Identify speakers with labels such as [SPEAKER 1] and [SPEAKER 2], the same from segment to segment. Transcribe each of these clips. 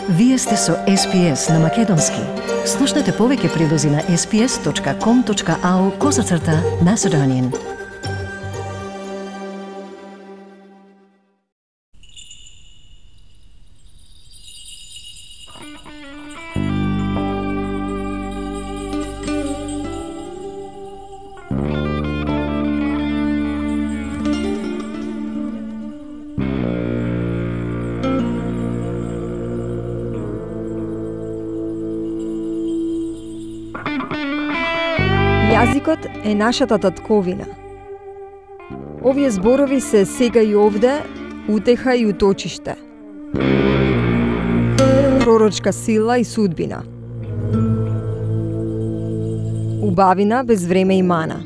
[SPEAKER 1] Вие сте со SPS на Македонски. Слушнете повеќе прилози на sps.com.au/Macedonian.
[SPEAKER 2] Јазикот е нашата татковина. Овие зборови се сега и овде, утеха и уточиште. Пророчка сила и судбина. Убавина без време и мана.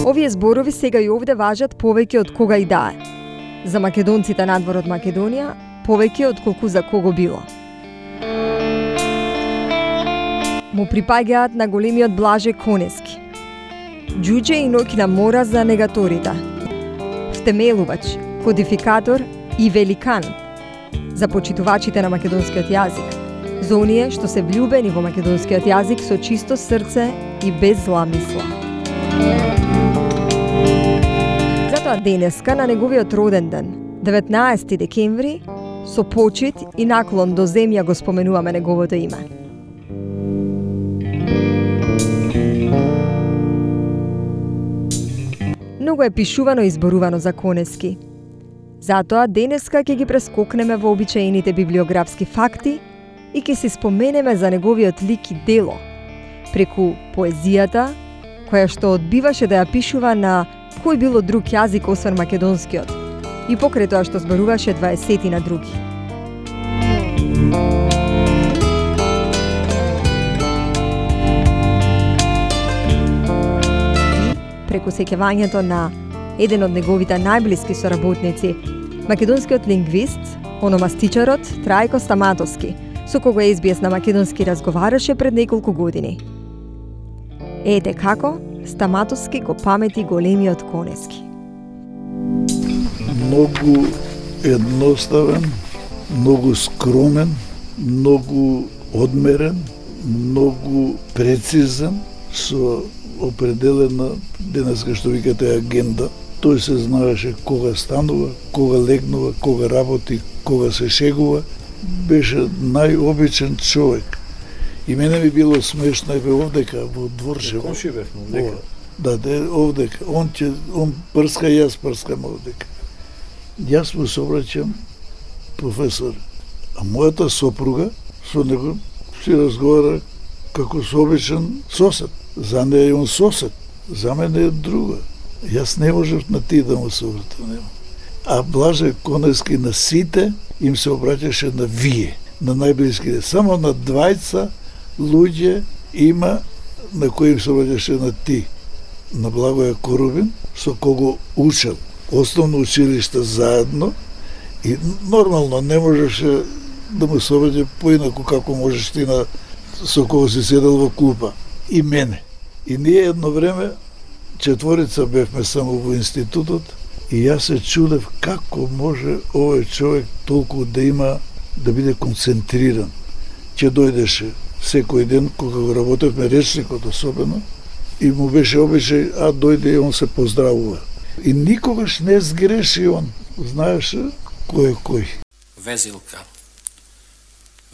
[SPEAKER 2] Овие зборови сега и овде важат повеќе од кога и да е. За македонците надвор од Македонија, повеќе од колку за кого било. Му припаѓаат на големиот Блаже Конески. Џуџе и Нокина Мора за негаторите. Втемелувач, кодификатор и великан за почитувачите на македонскиот јазик. За оние што се влюбени во македонскиот јазик со чисто срце и без зла мисла. Затоа денеска на неговиот роден ден, 19 декември, со почит и наклон до земја го споменуваме неговото име. Многу е пишувано и зборувано за Конески. Затоа денеска ќе ги прескокнеме во обичаените библиографски факти и ќе се споменеме за неговиот лик и дело, преку поезијата, која што одбиваше да ја пишува на кој било друг јазик освен македонскиот, и покрај тоа што зборуваше 20 на други. Преку сеќавањето на еден од неговите најблиски соработници, македонскиот лингвист, ономастичарот Трајко Стаматовски, со кого SBS на македонски разговараше пред неколку години. Ете како Стаматовски го памети големиот Конески.
[SPEAKER 3] Многу едноставен, многу скромен, многу одмерен, многу прецизен, со определена денеска што викате агенда. Тој се знаеше кога станува, кога легнува, кога работи, кога се шегува. Беше најобичен човек. И мене ми било смешно овдека во Дворшево.
[SPEAKER 4] Комши бевме овдека.
[SPEAKER 3] Да, овдека. Он прска, јас прскам овдека. Јас му се обраќам, професор, а мојата сопруга со него си разговара како со обичен сосед. За неја е он сосед, за мене е друга. Јас не можев на ти да му се обратам. А Блаже Конески на сите им се обраќаше на вие, на најблиските. Само на двајца луѓе има на кои им се обраќаше на ти. На Благоја Корубин, со кого учел основно училиште заедно, и нормално не можеше да му се обраќа поинаку како можеш ти со кого си седел во клупа. И мене. И ние едно време, четворица бевме само во институтот, и јас се чудев како може овој човек толку да има, да биде концентриран. Ќе дојдеше секој ден, кога го работевме речникот особено, и му беше обичај, дојде и он се поздравува. И никогаш не сгреши он. Знаеше кој е кој.
[SPEAKER 5] Везилка.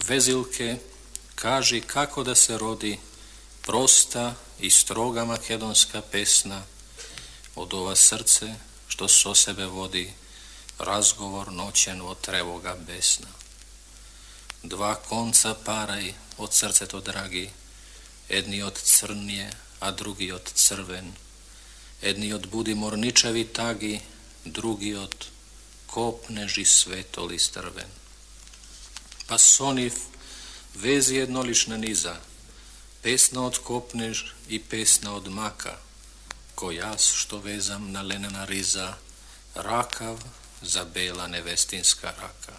[SPEAKER 5] Везилке, кажи како да се роди проста и строга македонска песна од ова срце што со себе води разговор ноќен во тревога бесна. Два конца парај од срцето драги, едниот црнје, а другиот црвен. Едниот буди морничеви таги, другиот копнежи светоли стрвен. Па со нив вези еднолична низа, песна од копнеж и песна од мака, кој јас што везам на ленена риза, ракав за бела невестинска рака.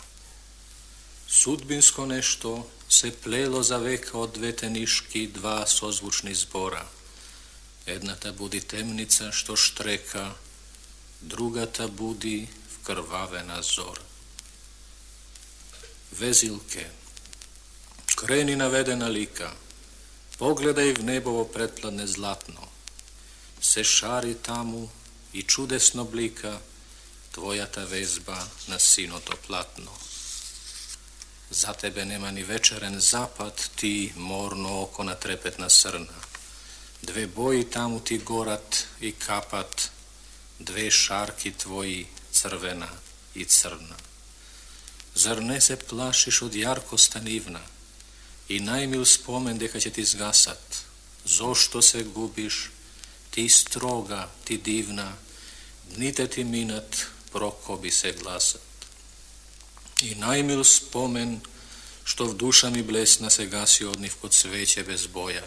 [SPEAKER 5] Судбинско нешто се плело за века од двете нишки два созвучни збора. Едната буди темница што штрека, другата буди вкрвавена зора. Везилке, крени наведена лика, погледај в небово претпладне златно, се шари таму и чудесно блика твојата везба на синото платно. За тебе нема ни вечерен запад, ти морно око на трепетна срна. Две бои таму ти горат и капат, две шарки твои, црвена и црна. Зар не се плашиш од јаркоста нивна и најмил спомен дека ќе ти згасат? Зошто се губиш, ти строга, ти дивна, дните ти минат, прокоби се гласат. И најмил спомен, што в душа ми блесна, се гаси од нив код свеќе без боја.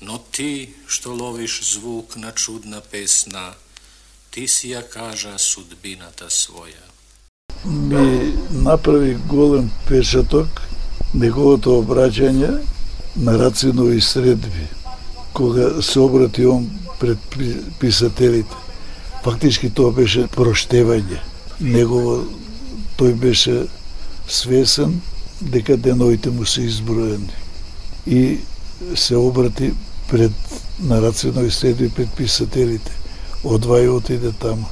[SPEAKER 5] Но ти, што ловиш звук на чудна песна, ти си ја кажа судбината своја.
[SPEAKER 3] Ми направи голем печаток неговото обраќање на Рацинови средби, кога се обрати он пред писателите. Фактички тоа беше проштевање. Тој беше свесен дека деновите му се изброени и се обрати на Рацинови средби пред писателите. Одвај отиде таму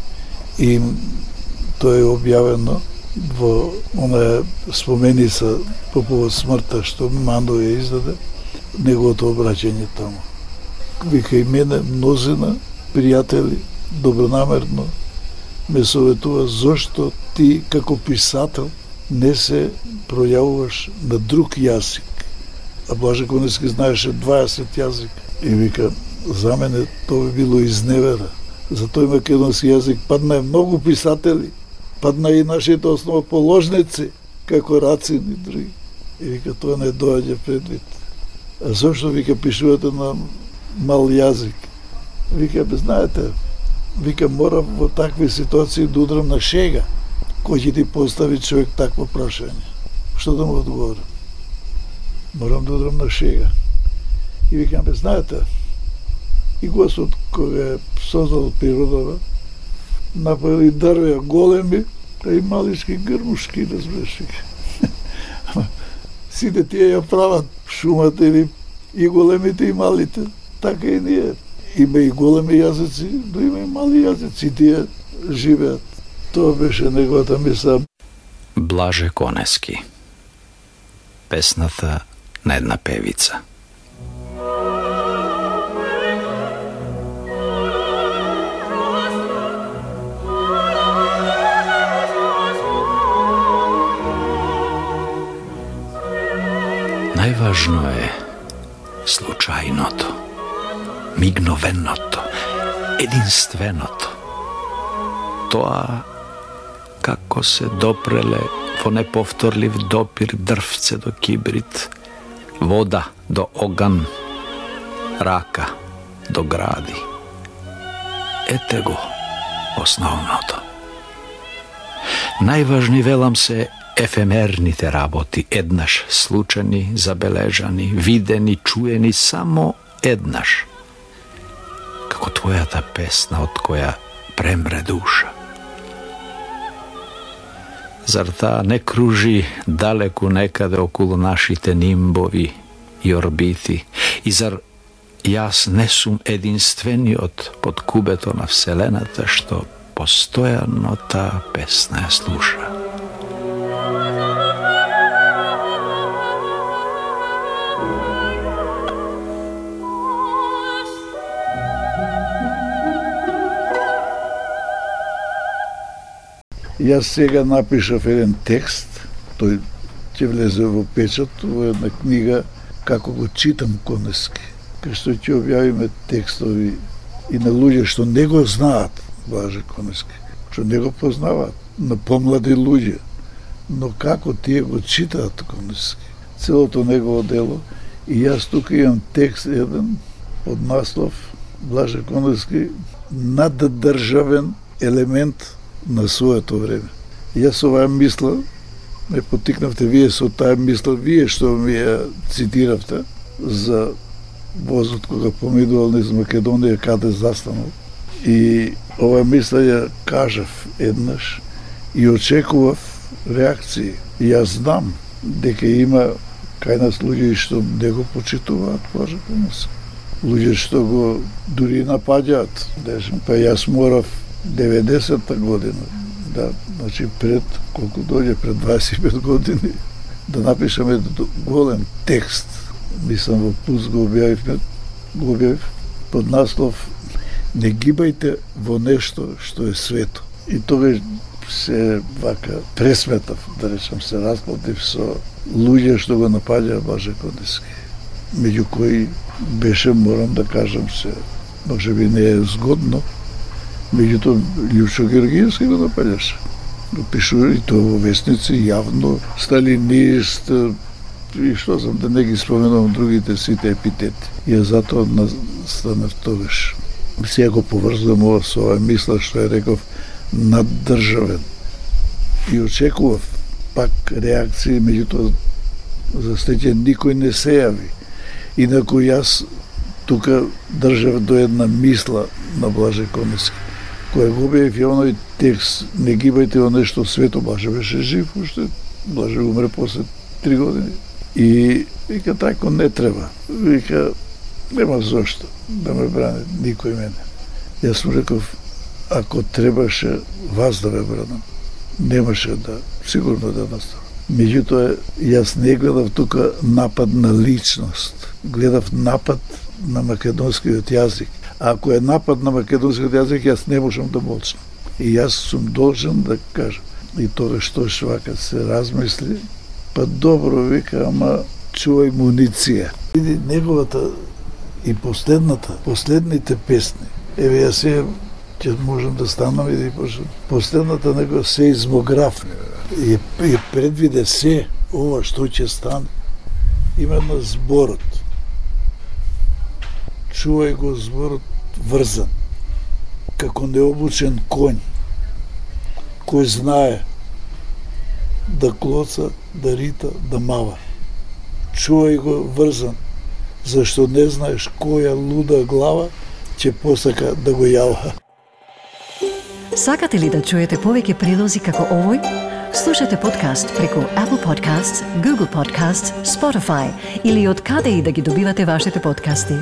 [SPEAKER 3] и тоа е објавено во онаа споменица по повод смртта што Мандо ја издаде, неговото обраќање таму. Вика и мене мнозина пријатели добронамерно ме советува зошто ти како писател не се пројавуваш на друг јазик. А Блаже Конески знаеше 20 јазика. И вика, за мене тоа би било изневера. За тој македонски јазик падна многу писатели, падна и нашите основоположници, како Рацин и други. И вика, тоа не доаѓа предвид. А зошто, вика, пишувате на мал јазик? Вика, знаете, вика, морам во такви ситуации да удрам на шега. Кој ќе ти постави човек такво прашање? Што да му одговорам? Морам да удрам на шега. И викам, знаете, и Господ кога создал природава, направи дрвја големи, а и малички грмушки, разбираш. Сите тие ја прават шумата или и големите и малите. Така и ние. Има и големи јазици, но има и мали јазици, тие живеат. Тоа беше неговата мисла.
[SPEAKER 4] Блаже Конески. Песната на една певица. Најважно е случајното, мигновеното, единственото. Тоа како се допреле во неповторлив допир дрвце до кибрит, вода до оган, рака до гради. Ете го основното. Најважни, велам, се ефемерните работи, еднаш случани, забележани, видени, чуени само еднаш. Како твојата песна од која премре душа. Зар таа не кружи далеку некаде околу нашите нимбови и орбити? И зар јас не сум единствениот под кубето на Вселената што постојано таа песна ја слуша?
[SPEAKER 3] Јас сега напишав еден текст, тој ќе влезе во печат, во една книга како го читам Конески, кај што ќе објавиме текстови и на луѓе што не го знаат Блаже Конески, што не го познаваат, на помлади луѓе, но како тие го читаат Конески, целото негово дело. И јас тука имам текст еден од наслов Блаже Конески, наддржавен елемент на своето време. Јас оваа мисла, ме потикнавте вие со таа мисла, вие што ми ја цитиравте за возот кога помидувал низ Македонија, каде застанал. И ова мисла ја кажав еднаш и очекував реакции. И јас знам дека има кај нас луѓе што не го почитуваат Блаже Конески. Луѓе што го дури напаѓаат. Па јас морав 90-та година, да, значи пред, колку дојде, пред 25 години, да напишаме голем текст. Мислам во Пулс го објавив под наслов "Не гибајте во нешто што е свето". И тогаш се вака пресметав, да речам, се расплатив со луѓе што го напаѓаа Блаже Конески. Меѓу кои беше, морам да кажам се, може би не е згодно, меѓутоа Лјупчо Георгиевски го напаѓаше. Го пишува и тоа во весници, јавно, сталинист, и што знам, да не ги споменувам другите сите епитети. И затоа настанав тогаш. Сега го поврзувам ова со ова мисла што ја реков наддржавен. И очекував пак реакции, меѓутоа за среќа никој не се јави. Инаку јас тука држав до една мисла на Блаже Конески, која го објавив ја оној текст "Не гибајте во нешто свето". Блаже беше жив уште, Блаже умре после 3 години. И вика, тако не треба. Вика, нема зошто да ме брани никој мене. Јас му реков, ако требаше вас да ме бранам, немаше да, сигурно да наставам. Меѓутоа, јас не гледав тука напад на личност, гледав напад на македонскиот јазик. А ако е напад на македонскиот јазик, јас не можам да молчам. И јас сум должен да кажам. И тоа што вака се размисли, па добро, вика, ама чувај муниција. Види неговата и последните песни. Еве јас се ќе можам да станам и да почнам. Последната него сеизмограф и предвиде се ова што ќе стане. Именно зборот. Чувај го зборот врзан, како необучен конј, кој знае да клоца, да рита, да мава. Чувај го врзан, зашто не знаеш која луда глава ќе посака да го јава.
[SPEAKER 1] Сакате ли да чуете повеќе прилози како овој? Слушате подкаст преку Apple Podcasts, Google Podcasts, Spotify или од каде и да ги добивате вашите подкасти.